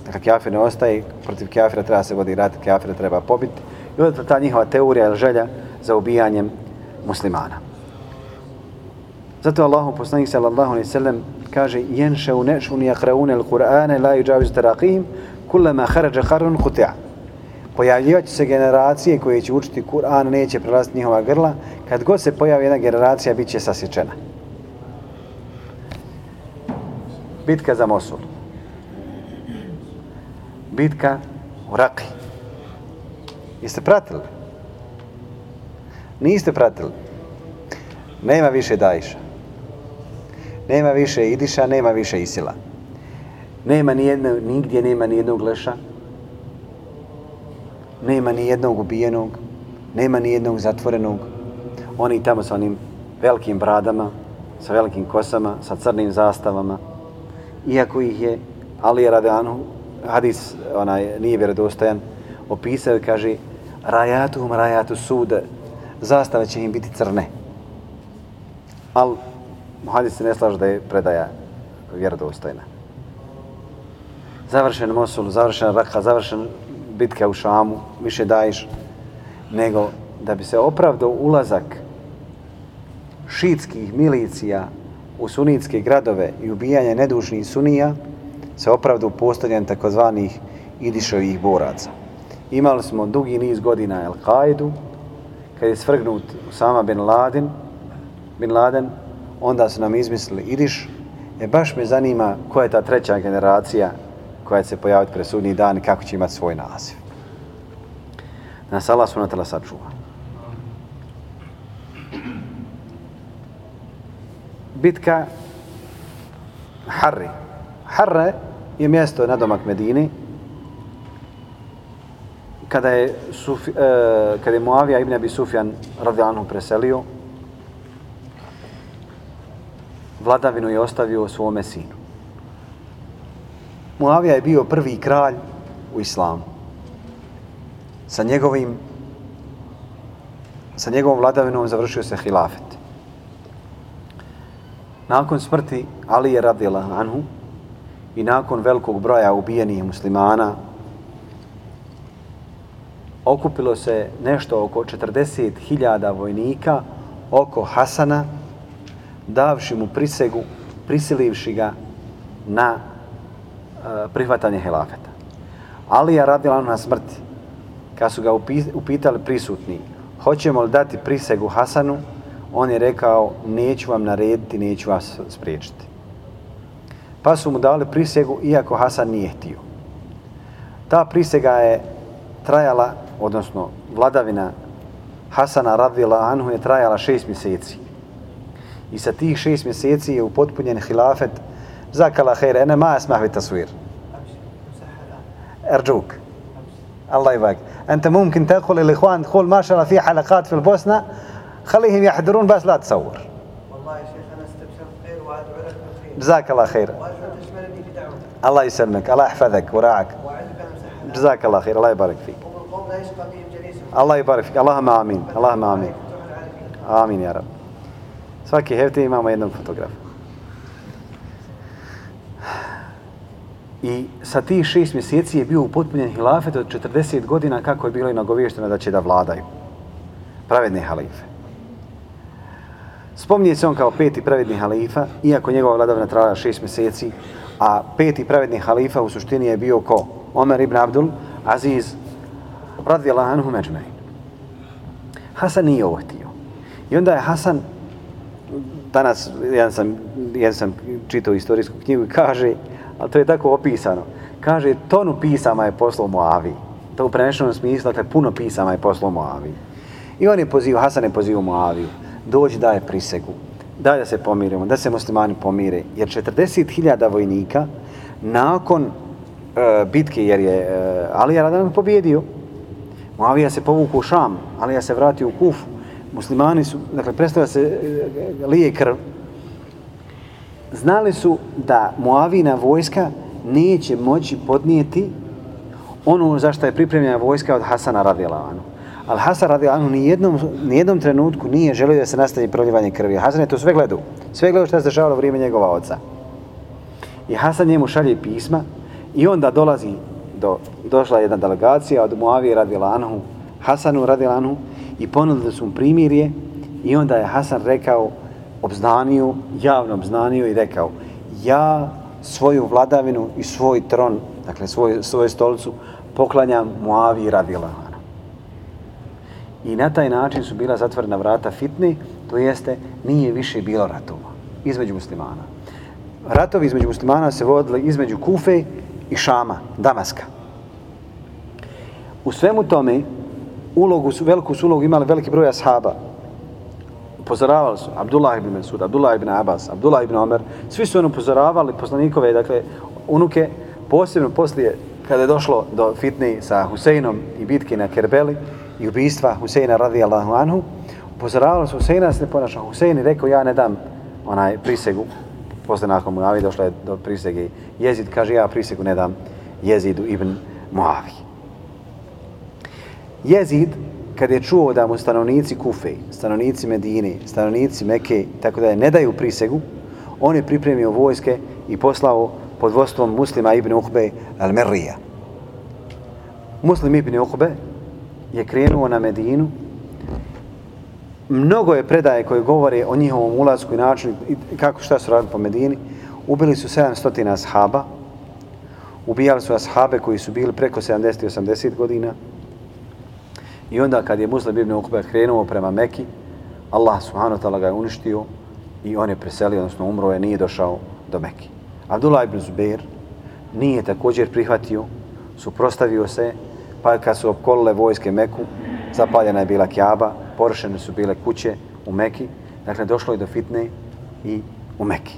Dakle, kafir ne ostaje, protiv kafira treba se vodi rat, kafira treba pobiti. I onda ta njihova teorija ili želja za ubijanjem muslimana. Zato Allahu poslanik sallallahu alejhi ve sellem kaže: "Yanshau nashun yaqra'una al-Qur'ana la yujawizu taraqihim kullama kharaja qarrun quti'a." Pojavljivat će se generacije koje će učiti Kur'an, neće prelaziti njihova grla. Kad god se pojavi jedna generacija, bit će sasječena. Bitka za Mosul. Bitka u Raqi. Jeste pratili? Niste pratili. Nema više Daisha. Nema više Idiša, nema više Isila. Nigdje nema ni jednog leša. Nema ni jednog ubijenog. Nema ni jednog zatvorenog. Oni tamo sa onim velikim bradama, sa velikim kosama, sa crnim zastavama. Iako ih je Ali radijallahu anhu, hadis nije vjerodostojan, opisao i kaže: "Rajatuhum rajatu sud", zastave će im biti crne. Al hadis se ne slaže da je predaja vjerodostojna. Završen Mosul, završen Raqqa, završen bitka u Šamu, više Daješ, nego da bi se opravdao ulazak šiitskih milicija u sunitske gradove i ubijanje nedužnih sunija, se opravdao postavljanje takozvanih Idišovih boraca. Imali smo dugi niz godina Al-Qaidu, kad je svrgnut Usama bin Laden, onda su nam izmislili Idiš. Baš me zanima koja je ta treća generacija koja će se pojaviti pred sudnji dan i kako će imati svoj naziv. Nas Allah subhanahu wa ta'ala sačuva. Bitka Harri. Harre je mjesto nadomak Medine. Kada je Muavija ibn Abi Sufjan radijallahu anhu preselio, vladavinu je ostavio svome sinu. Muavija je bio prvi kralj u islamu. Sa njegovom vladavinom završio se hilafet. Nakon smrti Alije radijallahu anhu i nakon velikog broja ubijenih muslimana, okupilo se nešto oko 40.000 vojnika oko Hasana, davši mu prisegu, prisilivši ga na prihvatanje hilafeta. Alija radijallahu anhu na smrti, kad su ga upitali prisutni, hoćemo li dati prisegu Hasanu, on je rekao: "Neću vam narediti, neću vas spriječiti." Pa su mu dali prisegu, iako Hasan nije htio. Ta prisega je trajala, odnosno vladavina Hasana radijallahu anhu je trajala 6 mjeseci. I sa tih 6 mjeseci je upotpunjen hilafet. Zakala khair, ene ma asmah bi taswir. Arjuk. Allah يبارك. أنت ممكن تقول للإخوان تقول ما شاء الله في حلقات في البوسنة خليهم يحضرون بس لا تصور. والله يا شيخ أنا استبشرت خير وأدعو لك بالخير. جزاك الله خير. وتشملني بدعوتك. الله يسلمك، الله يحفظك وراعك. جزاك الله خير، الله يبارك فيك. والقوم لا يشقى بهم جليسهم. الله يبارك فيك، اللهم آمين، اللهم آمين. آمين يا رب. Svaki hefte imamo jednog fotografa. I sa tih 6 mjeseci je bio upotpunjen hilafet od 40 godina kako je bilo i nagovješteno da će da vladaju pravedne halife. Spominje se on kao 5. pravedni halifa, iako njegova vladavina trajala 6 mjeseci, a 5. pravedni halifa u suštini je bio ko? Omer ibn Abdul Aziz radijallahu anhu međmejn. Hasan nije ovo htio. I onda je Hasan, danas jedan sam čitao istorijsku knjigu i kaže, ali to je tako opisano, kaže tonu pisama je poslao Muaviji. To u prenešenom smislu, dakle puno pisama je poslao Muaviji. I on je pozivao, Hasan je pozivao Muaviju, dođi daje prisegu, daj da se pomirimo, da se muslimani pomire, jer 40.000 vojnika nakon bitke, jer je Alija radijallahu anhu pobjedio, Muavija se povukao u Šam, Alija se vratio u Kufu, muslimani su, dakle, predstavlja se lije krv. Znali su da Muavina vojska neće moći podnijeti ono za što je pripremljena vojska od Hasana radijallahu anhu. Ali Hasan radijallahu anhu nijednom trenutku nije želio da se nastavi proljevanje krvi. Hasan je to sve gledao što se dešavalo u vrijeme njegova oca. I Hasan njemu šalje pisma I onda došla jedna delegacija od Muavije radijallahu anhu, Hasanu radijallahu anhu i ponudili su mu primirje i onda je Hasan rekao, javno obznanio i rekao, ja svoju vladavinu i svoj tron, dakle svoju stolicu, poklanjam Muaviji radijallahu anhu. I na taj način su bila zatvorena vrata fitne, to jeste nije više bilo ratova između muslimana. Ratovi između muslimana se vodili između Kufe i Šama, Damaska. U svemu tome veliku su ulogu imali veliki broj ashaba. Upozoravali su Abdullah ibn Mas'ud, Abdullah ibn Abbas, Abdullah ibn Omer, svi su upozoravali poslanikove, dakle, unuke, posebno poslije kada je došlo do fitne sa Huseinom i bitke na Kerbeli i ubistva Huseina radijallahu anhu, upozoravali su Huseina da se ne ponaša. Husein je rekao, ja ne dam prisegu. Posle nakon Muavije došla je do prisege Jezid, kaže, ja prisegu ne dam Jezidu ibn Muaviji. Jezid, kad je čuo da mu stanovnici Kufe, stanovnici Medine, stanovnici Mekke, tako da je ne daju prisegu, on je pripremio vojske i poslao pod vodstvom Muslima ibn Uqbe al-Merrija. Muslim ibn Uqbe je krenuo na Medinu. Mnogo je predaje koje govore o njihovom ulasku i načinu i šta su radili po Medini. Ubili su 700 ashaba, ubijali su ashabe koji su bili preko 70 i 80 godina. I onda kad je Muslim ibn Uqbe krenuo prema Meki, Allah subhanahu wa ta'ala ga je uništio i on je preselio, odnosno umro je, nije došao do Meki. Abdullah ibn Zubair nije također prihvatio, suprotstavio se, pa kad su opkolile vojske Meku, zapaljena je bila Kjaba, porušene su bile kuće u Meki, dakle došlo je do fitne i u Meki.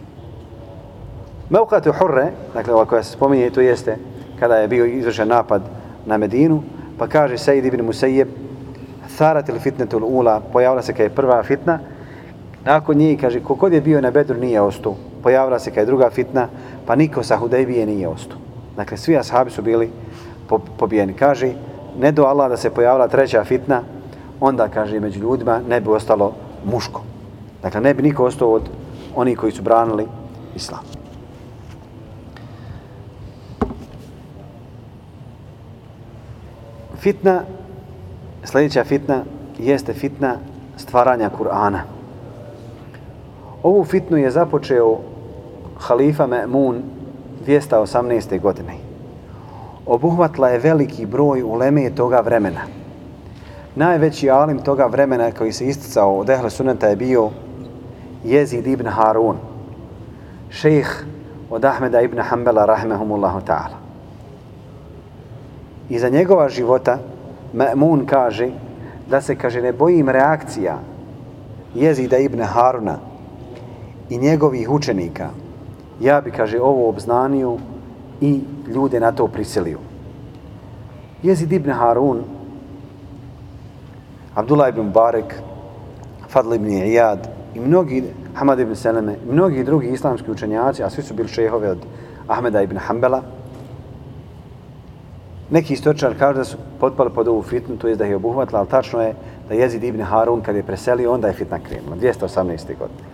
Mevqatu Hurre, dakle ova koja se spominje, to jeste kada je bio izvršen napad na Medinu, pa kaže Sejid ibn Musejeb, tharat il fitnetul ula, pojavila se kad je prva fitna, nakon njih, kaže, kogod je bio na Bedru nije ostao, pojavila se kad je druga fitna, pa niko sa Hudejbije nije ostao. Dakle, svi ashabi su bili pobijeni. Kaže, ne do Allah da se pojavila treća fitna, onda, kaže, među ljudima ne bi ostalo muško. Dakle, ne bi niko ostao od onih koji su branili islam. Sljedeća fitna jeste fitna stvaranja Kur'ana. Ovu fitnu je započeo halifa Ma'mun 218. godine. Obuhvatila je veliki broj uleme toga vremena. Najveći alim toga vremena koji se isticao od Ehle Sunneta je bio Jezid ibn Harun, šejh od Ahmeda ibn Hanbala rahimehumullahu ta'ala. Iza njegova života Ma'mun kaže da se, kaže, ne bojim reakcija Jezida ibn Haruna i njegovih učenika. Ja bi, kaže, ovo obznanio i ljude na to prisilio. Jezid ibn Harun, Abdullah ibn Mubarak, Fadl ibn Iyad i mnogi, Hamad ibn Seleme, i mnogi drugi islamski učenjaci, a svi su bili šejhovi od Ahmeda ibn Hanbala. Neki istoričari kažu da su potpali pod ovu fitnu, to je da je obuhvatila, ali tačno je da Jezid ibn Harun kad je preselio, onda je fitna krenula, 218. godine.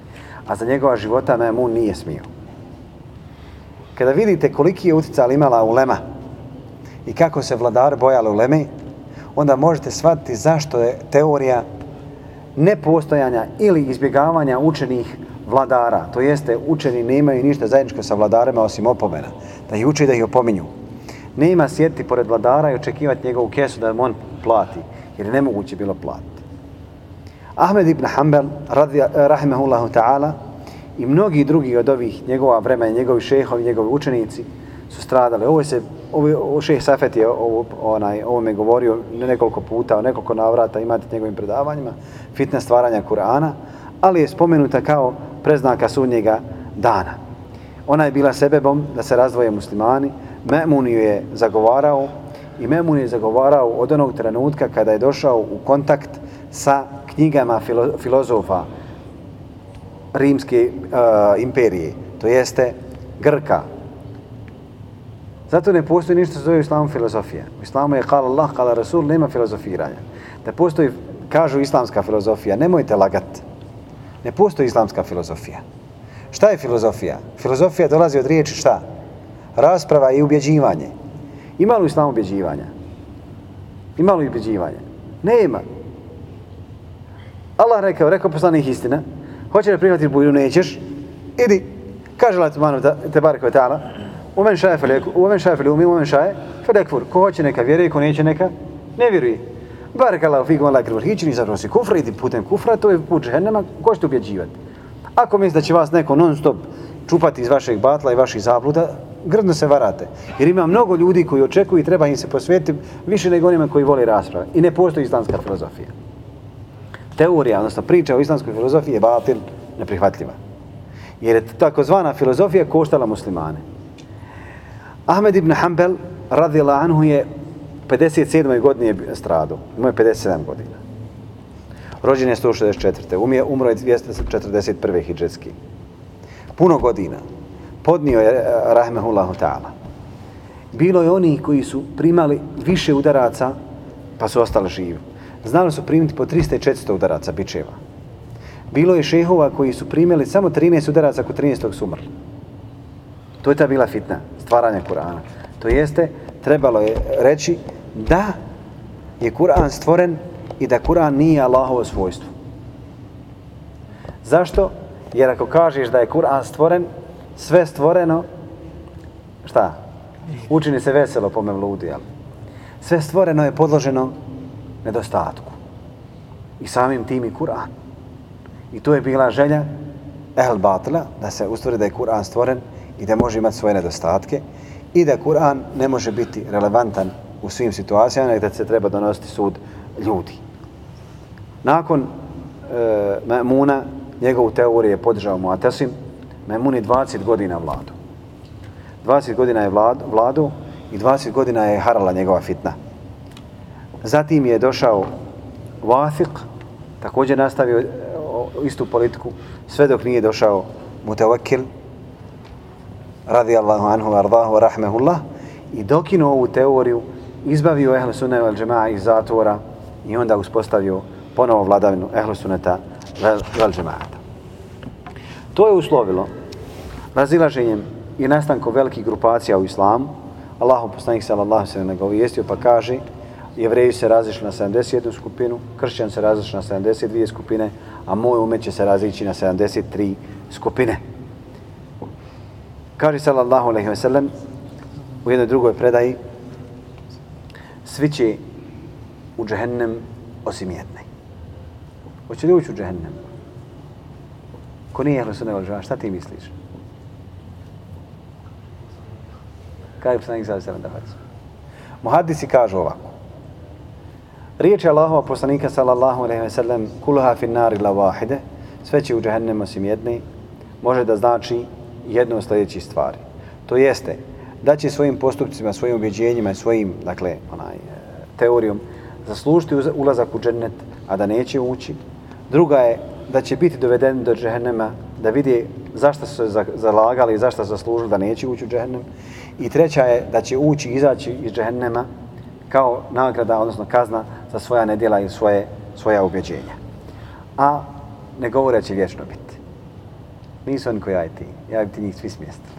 A za njegova života Ma'mun nije smio. Kada vidite koliki je utjecaj imala ulema i kako se vladari bojali uleme, onda možete shvatiti zašto je teorija nepostojanja ili izbjegavanja učenih vladara, to jeste učeni nemaju ništa zajedničko sa vladarima osim opomena, da ih uče i da ih opominju. Nema sjediti pored vladara i očekivati njegovu kesu da mu on plati, jer je nemoguće bilo platiti. Ahmed ibn Hanbal, rahimehullahu ta'ala, i mnogi drugi od ovih njegova vremena, njegovi šejhovi, njegovi učenici su stradali. Ovo šejh Safet je ovome govorio nekoliko puta, o nekoliko navrata, imate njegovim predavanjima, fitna stvaranja Kur'ana, ali je spomenuta kao preznaka sudnjega dana. Ona je bila sebebom da se razdvoje muslimani. Ma'mun ju je zagovarao i Ma'mun je zagovarao od onog trenutka kada je došao u kontakt sa knjigama filozofa Rimske imperije, to jeste Grka. Zato ne postoji ništa što zove u islamu filozofija. U islamu je kala Allah, kala Rasul, nema filozofiranja. Da postoji, kažu, islamska filozofija, nemojte lagati. Ne postoji islamska filozofija. Šta je filozofija? Filozofija dolazi od riječi šta? rasprava i ubjeđivanje. Ima li u islamu ubjeđivanja? Ima li ubjeđivanja? Nema. Allah rekao poslanik istina, hoće da prihvatiti budu, nećeš, idi. Kaže Allah te barek ve ta'ala, umen šaje feli umi, umen šaje feli ekfur. Ko hoće neka vjeruje, ko neće neka ne vjeruje. Barek Allah fikum Allah krivar hičini, zapravo si kufra, idi putem kufra, to je put džehennema, ko ćete ubjeđivati. Ako mislite da će vas neko non stop čupati iz vašeg batla i vaših zabluda, grdno se varate. Jer ima mnogo ljudi koji očekuju i treba im se posvetiti više nego onima koji vole rasprave. I ne postoji islamska filozofija. Teorija, odnosno priča o islamskoj filozofiji je batil, neprihvatljiva. Jer je takozvana filozofija koštala muslimane. Ahmed ibn Hanbel, radijallahu anhu, je 57. godine stradao. Imao je 57 godina. Rođen je 164. Umro je 241. hidžetski. Puno godina. Podnio je rahmehullahu ta'ala. Bilo je oni koji su primali više udaraca pa su ostali živi. Znali su primiti po 300 i 400 udaraca bičeva. Bilo je šehova koji su primili samo 13 udaraca, ako 13. su umrli. To je ta bila fitna, stvaranja Kur'ana. To jeste, trebalo je reći da je Kur'an stvoren i da Kur'an nije Allahovo svojstvo. Zašto? Jer ako kažeš da je Kur'an stvoren, sve stvoreno, šta? Učini se veselo po mevludu, jel? Sve stvoreno je podloženo nedostatku. I samim tim i Kur'an. I to je bila želja ehl batila, da se ustvari da je Kur'an stvoren i da može imati svoje nedostatke i da Kur'an ne može biti relevantan u svim situacijama i da se treba donositi sud ljudi. Nakon Ma'muna, njegovu teoriju je podržao Mu'tasim, Ma'mun je 20 godina vladu. 20 godina je vladu i 20 godina je harala njegova fitna. Zatim je došao Wathiq, također nastavio istu politiku, sve dok nije došao Mutawakkil, radijallahu anhu, ardahu, rahmehullah, i dokinuo ovu teoriju, izbavio Ehl Sunne vel Džema'a iz zatvora i onda uspostavio ponovo vladavinu Ehl Sunneta vel Džema'ata. To je uslovilo razilaženjem i nastankom velikih grupacija u islamu. Allahov poslanik sallallahu alejhi ve sellem ga obavijestio pa kaže: Jevreji se razišli na 71 skupinu, kršćani se razišli na 72 skupine, a moj umet će se razići na 73 skupine. Kaže sallallahu alejhi ve sellem u jednoj drugoj predaji: svi će u džehennem osim jedne. Hoće li ući u džehennem? Ko nije Ehl Sunne vel Džema'a, šta ti misliš? Kaj je poslanik sallallahu alejhi ve sellem da hoće? Muhaddisi kažu ovako: riječ je Allahova poslanika sallallahu alejhi ve sellem kulha fin nari la wahide, sve će u džehennem osim jedne, može da znači jedno od sljedećih stvari. To jeste da će svojim postupcima, svojim ubjeđenjima i svojim, dakle, teorijom zaslužiti ulazak u džennet, a da neće ući. Druga je da će biti dovedeni do džehennema, da vidi zašto su se zalagali i zašto su zaslužili da neće ući u džehennem. I treća je da će ući i izaći iz džehennema kao nagrada, odnosno kazna za svoja nedjela i svoja ubjeđenja. A ne govore će vječno biti. Nisu oni koji ja bi ti njih svi smjestili.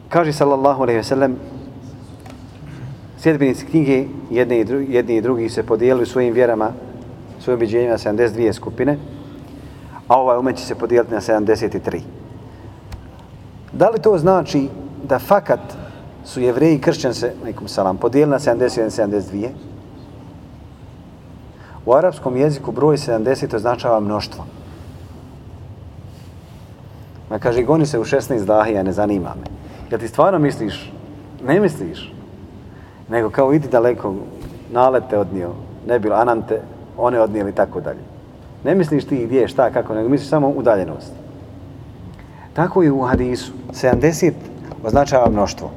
Kaže sallallahu alejhi ve sellem, sljedbenici knjige jedni i drugi se podijelili svojim vjerama, svojim ubjeđenjima na 72 skupine, a ovaj umet će se podijeliti na 73. Da li to znači da fakat su Jevreji i kršćani se, alejkum selam, podijelili na 71 i 72? U arapskom jeziku broj 70 označava mnoštvo. Ma kaže, goni se u 16 dahija, ne zanima me. Jel ti stvarno misliš? Ne misliš. Nego kao idi daleko, nalete odnio, ne bilo, anante, one odnijeli, tako dalje. Ne misliš ti gdje, šta, kako, nego misliš samo udaljenost. Tako i u hadisu. 70 označava mnoštvo.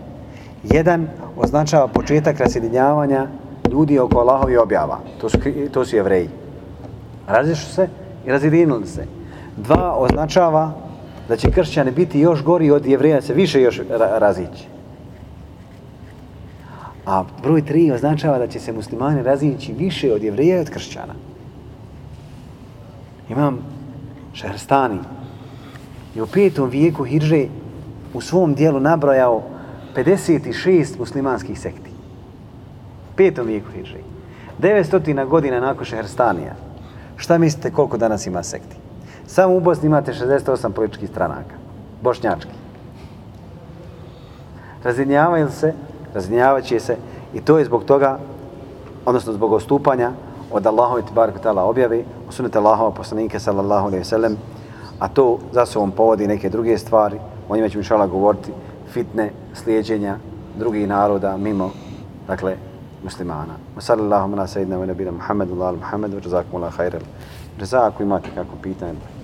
1 označava početak rasjedinjavanja ljudi oko Allahovi objava. To su Jevreji. Razišli se i razjedinili se. 2 označava da će kršćani biti još gori od Jevreja, se više još razići. A broj 3 označava da će se muslimani razići više od Jevreja i od kršćana. Imam Šehrstani je u 5. vijeku hidže u svom dijelu nabrojao 56 muslimanskih sekti. 5. vijeku hidže. 900 godina nakon Šehrstanija. Šta mislite koliko danas ima sekti? Samo u Bosni imate 68 političkih stranaka. Bošnjački. Razjedinjavaju se, razjedinjavat će se i to je zbog toga, odnosno zbog odstupanja od Allahove tebareke ve taala objave, od sunneta Allahova poslanika sallallahu alejhi ve sellem, a to za sobom povodi neke druge stvari, o njima ćemo inšallah govoriti, fitne, slijeđenja drugih naroda mimo, dakle, muslimana. Sallallahu ala sayyidina wa nabiyina Muhammedu wa ala Muhammedu, jazakumullahu khairan. Ako imate kako pitanje.